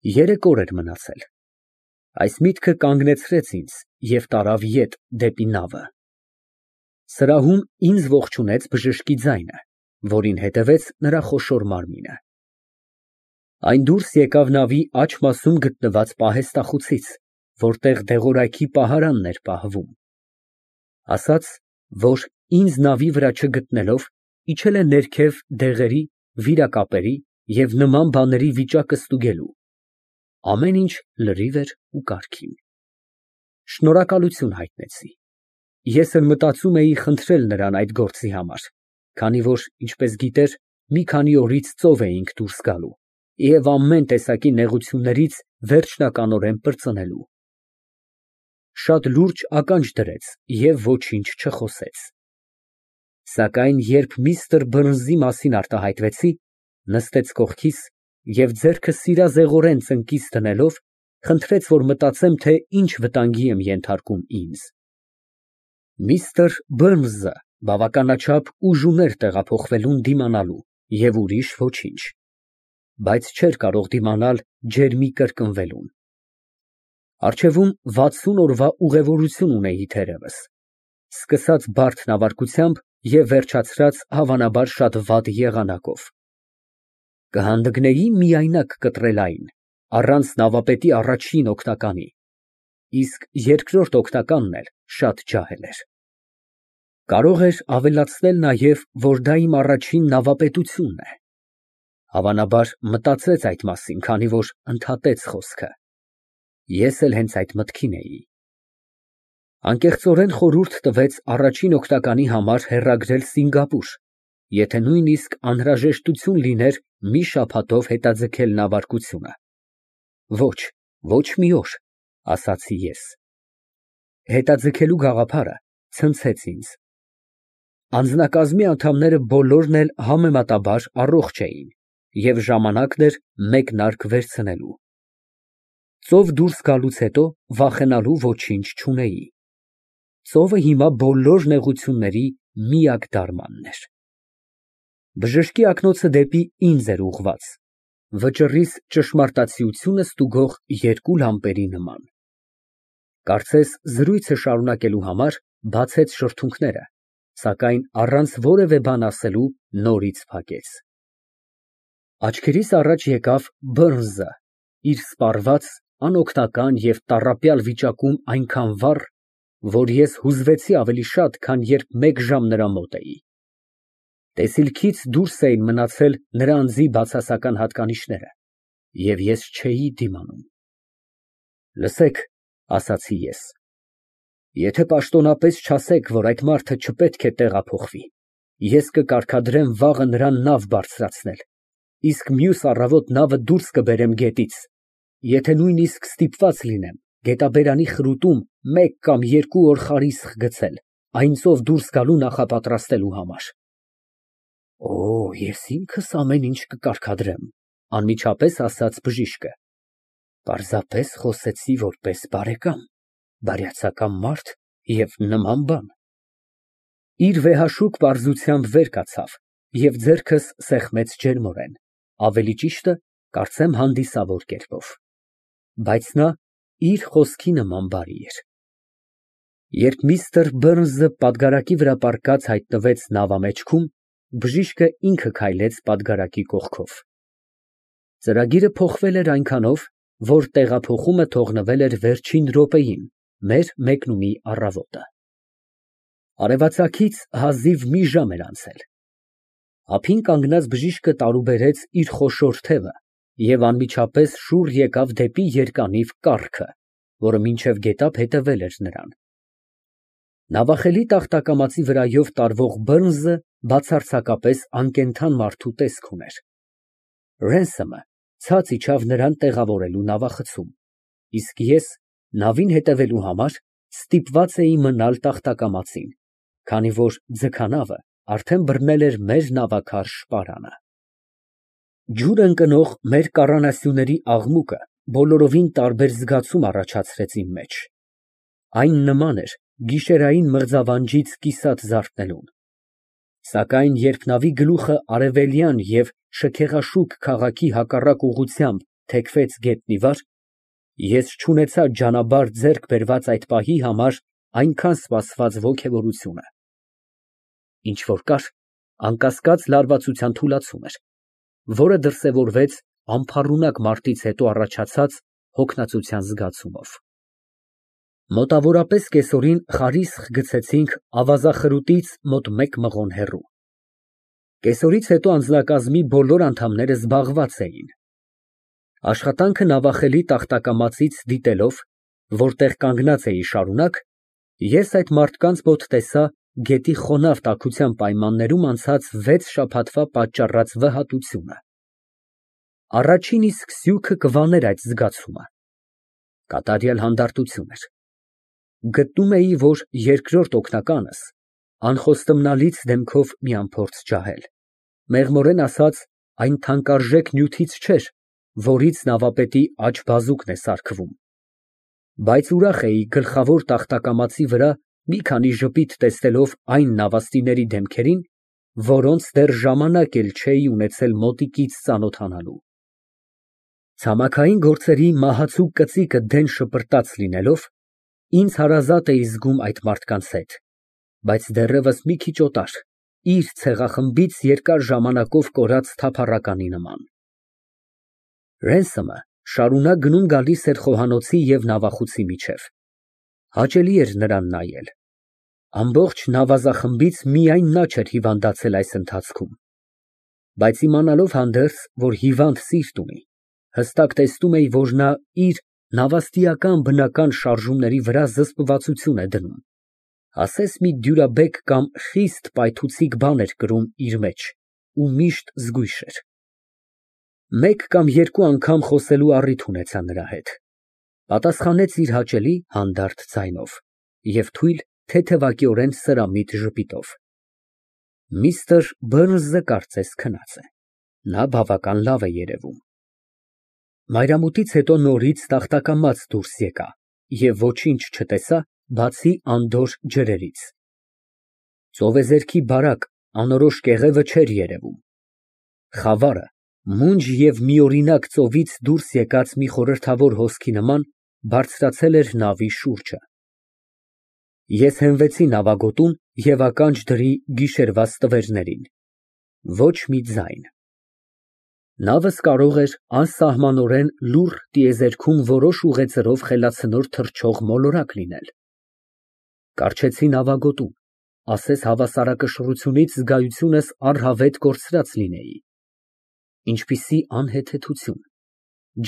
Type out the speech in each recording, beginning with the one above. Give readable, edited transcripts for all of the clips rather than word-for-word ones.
Երեք օր էր մնացել։ Այս միտքը կանգնեցրեց ինձ և տարավ ետ դեպի նավը։ Սրահում ինձ ողջունեց բժշկի ձայնը, որին հետևեց նրա խոշոր մարմինը։ Այն դուրս եկավ նավի աջ մասում գտնված պահեստախուցից, որտեղ դեղորայքի պահարանն էր պահվում, ասաց, որ ինձ նավի վրա չգտնելով, իջել է ներքև դեղերի, վիրակապերի և նման բաների վիճակը ստուգելու, ամեն ինչ լրիվ էր ու կարգին։ Շնորհակալություն հայտնեցի։ Ես էլ մտածում էի խնդրել նրան այդ գործի համար, քանի որ, ինչպես գիտեր, մի քանի օրից ծով էինք դուրս գալու և ամեն տեսակի նեղություններից վերջնականորեն պրծնելու։ Շատ լուրջ ականջ դրեց և ոչինչ չխոսեց։ Սակայն երբ միստր Բըրնսի մասին արտահայտվեցի, նստեց կողքիս և ձեռքը սիրազեղորեն ծնկից դնելով, խնդրեց, որ մտածեմ, թե ինչ վտանգի եմ ենթարկում ինձ։ Միստր Բըրնսը բավականաչափ ուժուն էր տեղափոխվելուն դիմանալու և ուրիշ ոչինչ, բայց չէր կարող դիմանալ ջերմի կրկնվելուն։ Առջևում 60 օրվա ուղևորություն ունեի թերևս, սկսած բարդ նավարկությամբ և վերջացրած հավանաբար շատ վատ եղանակով։ Կհանդգնեի միայնակ կտրելային, առանց նավապետի առաջին օգնականի, իսկ երկրորդ օգնականն էլ շատ ջահել էր։ Կարող էր ավելացնել նաև, որ դա իմ առաջին նավապետությունն է։ Հավանաբար մտածեց այդ մասին, քանի որ ընդհատեց խոսքը։ Ես էլ հենց այդ մտքին էի։ Անկեղծորեն խորհուրդ տվեց առաջին օգնականի համար հեռագրել Սինգապուր, եթե նույնիսկ անհրաժեշտություն լիներ մի շաբաթով հետաձգել նավարկությունը։ Ոչ, ոչ մի օր, ասացի ես։ Հետաձգելու գաղափարը ցնցեց ինձ։ Անձնակազմի անդամները բոլորն էլ համեմատաբար առողջ էին, և ժամանակն էր մեկնարկ վերցնելու։ Ծով դուրս գալուց հետո վախենալու ոչինչ չունեի։ Ծովը հիմա բոլոր նեղությունների միակ դարմանն էր։ Բժշկի ակնոցը դեպի ինձ էր ուղղված, վճռիս ճշմարտացիությունը ստուգող երկու լամպերի նման։ Կարծես զրույցը շարունակելու համար բացեց շրթունքները, սակայն առանց որևէ բան ասելու նորից փակեց։ Աչքերիս առաջ եկավ Բըրնսը, իր սպառված, անօգնական և տառապյալ վիճակում այնքան վառ, որ ես հուզվեցի ավելի շատ, քան երբ մեկ ժամ նրա մոտ էի։ Տեսիլքից դուրս էին մնացել նրա անձի բացասական հատկանիշները, և ես չէի դիմանում։ Լսեք, ասացի ես, եթե պաշտոնապես չասեք, որ այդ մարդը չպետք է տեղափոխվի, ես կկարգադրեմ վաղը նրան նավ բարձրացնել, իսկ մյուս առավոտ նավը դուրս կբերեմ գետից, եթե նույնիսկ ստիպված լինեմ գետաբերանի խրուտում 1 կամ 2 օր խարիսխ գցել, այն ծով դուրս գալու նախապատրաստելու համար։ Օ, ես ինքս ամեն ինչ կկարգադրեմ, անմիջապես ասաց բժիշկը։ Պարզապես խոսեցի որպես բարեկամ, բարյացակամ մարդ և նման բան։ Իր վեհաշուկ պարզությամբ վեր կացավ և ձեռքս սեղմեց ջերմորեն, ավելի ճիշտը, կարծեմ հանդիսավոր կերպով։ Բայց նա իր խոսքի նման բարի էր։ Երբ միստր Բըրնսը պատգարակի վրա պառկած հայտնվեց նավամեջքում, բժիշկը ինքը քայլեց պատգարակի կողքով։ Ծրագիրը փոխվել էր այնքանով, որ տեղափոխումը թողնվել էր վերջին րոպեին, մեր մեկնումի առավոտը։ Արևածագից հազիվ մի ժամ էր անցել։ Ափին կանգնած բժիշկը տարուբերեց իր խոշոր թևը և անմիջապես շուռ եկավ դեպի երկանիվ կառքը, որը մինչև գետափ հետևել էր նրան։ Նավախելի տախտակամածի վրայով տարվող Բըրնսը բացարձակապես անկենդան մարդու տեսք ուներ։ Ռենսեմը ցած իջավ նրան տեղավորելու նավախցում, իսկ ես, նավին հետևելու համար, ստիպված էի մնալ տախտակամածին, քանի որ ձգանավը արդեն բռնել էր մեր նավաքար շպարանը։ Ջուր ընկնող մեր կառանասյուների աղմուկը բոլորովին տարբեր զգացում առաջացրեց իմ մեջ։ Այն նման էր գիշերային մղձավանջից կիսատ զարթնելուն։ Սակայն երբ նավի գլուխը արևելյան և շքեղաշուք քաղաքի հակառակ ուղղությամբ թեքվեց գետնի վար, ես չունեցա ջանաբար ձեռք բերված այդ պահի համար այնքան սպասված ոգևորությունը։ Ինչ որ կար, անկասկած լարվածության թուլացում էր, որը դրսևորվեց անփառունակ մարտից հետո առաջացած հոգնածության զգացումով։ Մոտավորապես կեսօրին խարիսխ գցեցինք ավազախրուտից մոտ 1 մղոն հեռու։ Կեսօրից հետո անձնակազմի բոլոր անդամները զբաղված էին։ Աշխատանքը նավախելի տախտակամածից դիտելով, որտեղ կանգնած էի շարունակ, ես այդ մարդկանց մոտ տեսա գետի խոնավ տաքության պայմաններում անցած 6 շաբաթվա պատճառած վհատությունը։ Առաջին իսկ սյուքը կվաներ այդ զգացումը։ Կատարյալ հանդարտություն էր։ Գտնում էի, որ երկրորդ օգնականս անխոստմնալից դեմքով մի անփորձ ջահել, մեղմորեն ասած, այն թանկարժեք նյութից չէր, որից նավապետի աջ բազուկն է սարքվում, բայց ուրախ էի գլխավոր տախտակամածի վրա մի քանի ժպիտ տեսնելով այն նավաստիների դեմքերին, որոնց դեռ ժամանակ էլ չէի ունեցել մոտիկից ծանոթանալու։ Ցամաքային գործերի մահացու կծիկը դեն շպրտած լինելով, ինձ հարազատ էի զգում այդ մարդկանց հետ, բայց դեռևս մի քիչ օտար, իր ցեղախմբից երկար ժամանակով կորած թափառականի նման։ Ռենսոմը շարունակ գնում֊գալիս էր խոհանոցի և նավախուցի միջև։ Հաճելի էր նրան նայել։ Ամբողջ նավազախմբից միայն նա չէր հիվանդացել այս ընթացքում։ Բայց իմանալով հանդերձ, որ հիվանդ սիրտ ունի, հստակ տեսնում էի, որ նա իր նավաստիական բնական շարժումների վրա զսպվածություն է դնում, ասես մի դյուրաբեկ կամ խիստ պայթուցիկ բան էր կրում իր մեջ ու միշտ զգույշ էր։ Մեկ կամ երկու անգամ խոսելու առիթ ունեցա նրա հետ, պատասխանեց իր հաճելի հանդարտ ձայնով և թույլ, թեթևակիորեն սրամիտ ժպիտով։ Միստր Բըրնսը կարծես քնած է, նա բավական լավ է երևում։ Մայրամուտից հետո նորից տախտակամած դուրս եկա և ոչինչ չտեսա, բացի անդորր ջրերից։ Ծովեզերքի բարակ, անորոշ կեղևը չէր երևում։ Խավարը մունջ և միօրինակ ծովից դուրս եկած մի խորհրդավոր հոսքի նման բարձրացել էր նավի շուրջը։ Ես հենվեցի նավագոտուն և ականջ դրի գիշերվա ստվերներին։ Ոչ մի ձայն։ Նավս կարող էր անսահմանորեն լուռ տիեզերքում որոշ ուղեծրով խելացնոր թռչող մոլորակ լինել։ Կառչեցի նավագոտուն, ասես հավասարակշռությունից զգայությունս առհավետ կորցրած լինեի։ Ինչպիսի անհեթեթություն,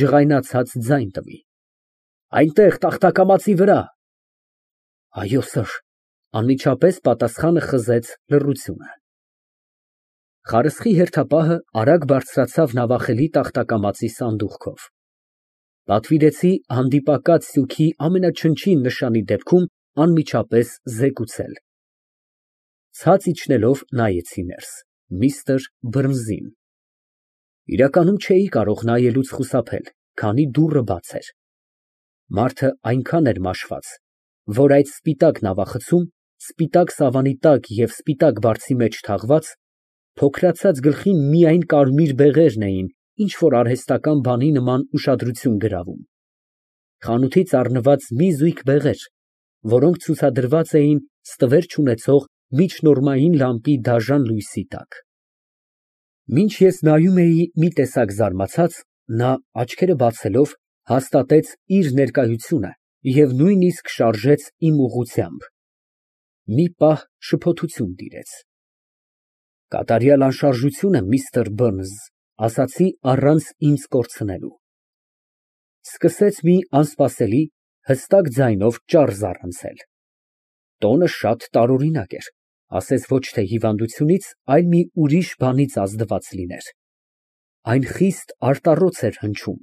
ջղայնացած ձայն տվի։ Այնտեղ, տախտակամածի վրա։ Այո, սըր, անմիջապես պատասխանը խզեց լռությունը։ Խարսխի հերթապահը արագ բարձրացավ նավախելի տախտակամածի սանդուղքով։ Պատվիրեցի հանդիպակաց սյուքի ամենաչնչին նշանի դեպքում անմիջապես զեկուցել։ Ցած իջնելով նայեցի ներս, միստր Բըրնսին։ Իրականում չէի կարող նայելուց խուսափել, քանի դուռը բաց էր։ Մարդը այնքան էր մաշված, որ այդ սպիտակ նավախցում, սպիտակ սավանի տակ և սպիտակ բարձի մեջ թաղված, փոքրացած գլխին միայն կարմիր բեղերն էին ինչ֊որ արհեստական բանի նման ուշադրություն գրավում։ Խանութից առնված մի զույգ բեղեր, որոնք ցուցադրված էին ստվեր չունեցող միջնորմային լամպի դաժան լույսի տակ։ Մինչ ես նայում էի մի տեսակ զարմացած, նա, աչքերը բացելով, հաստատեց իր ներկայությունը և նույնիսկ շարժեց իմ ուղղությամբ։ Մի պահ շփոթություն տիրեց։ Կատարյալ անշարժություն եմ, միստր Բըրնս, ասացի առանց ինձ կորցնելու։ Սկսեց մի անսպասելի, հստակ ձայնով ճառ զառանցել։ Տոնը շատ տարօրինակ էր, ասես ոչ թե հիվանդությունից, այլ մի ուրիշ բանից ազդված լիներ։ Այն խիստ արտառոց էր հնչում։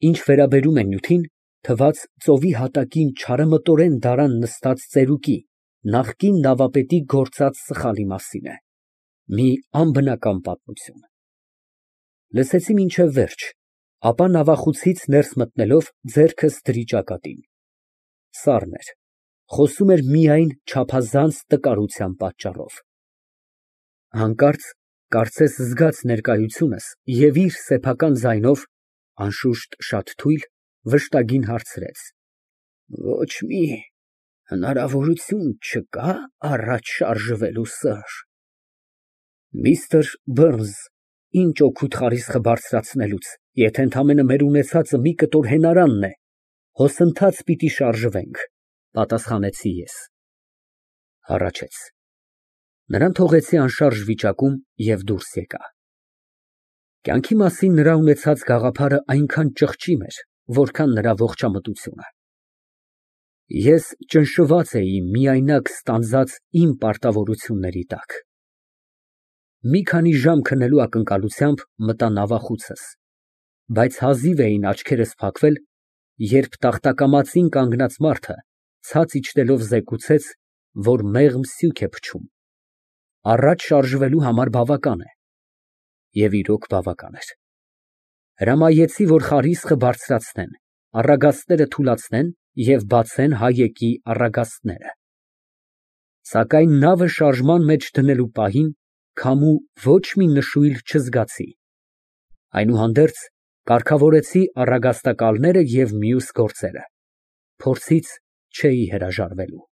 Ինչ վերաբերում է նյութին, թվաց ծովի հատակին չարամտորեն դարան նստած ծերուկի, նախկին նավապետի գործած սխալի մասին է։ Մի անբնական պատմություն։ Լսեցի մինչև վերջ, ապա նավախուցից ներս մտնելով ձեռքս դրի ճակատին։ Սառն էր, խոսում էր միայն չափազանց տկարության պատճառով։ Հանկարծ, կարծես զգաց ներկայությունս և իր սեփական ձայնով Անշուշտ շատ թույլ, վշտագին հարցրեց. Ոչ մի հնարավորություն չկա՞ առաջ շարժվելու, սըր։ Միստր Բըրնս, ինչ օգուտ խարիսխը բարձրացնելուց, եթե ընդամենը մեր ունեցածը մի կտոր հենարանն է, հոսընթաց պիտի շարժվենք, պատասխանեցի ես։ Հառաչեց։ Նրան թողեցի անշարժ վիճակում և դուրս եկա։ Կյանքի մասին նրա ունեցած գաղափարը այնքան ճղճիմ էր, որքան նրա ողջամտությունը։ Ես ճնշված էի միայնակ ստանձած իմ պարտավորությունների տակ։ Մի քանի ժամ քնելու ակնկալությամբ մտա նավախուցս, բայց հազիվ էին աչքերս փակվել, երբ տախտակամածին կանգնած մարդը ցած իջնելով զեկուցեց, որ մեղմ սյուք է փչում, առաջ շարժվելու համար բավական է, և իրոք բավական էր։ Հրամայեցի, որ խարիսխը բարձրացնեն, առագաստները թուլացնեն և բացեն հայեկի առագաստները։ Սակայն նավը շարժման մեջ դնելու պահին քամու ոչ մի նշույլ չզգացի, այնուհանդերձ կարգավորեցի առագաստակալները և մյուս գործերը, փորձից չէի հրաժարվելու։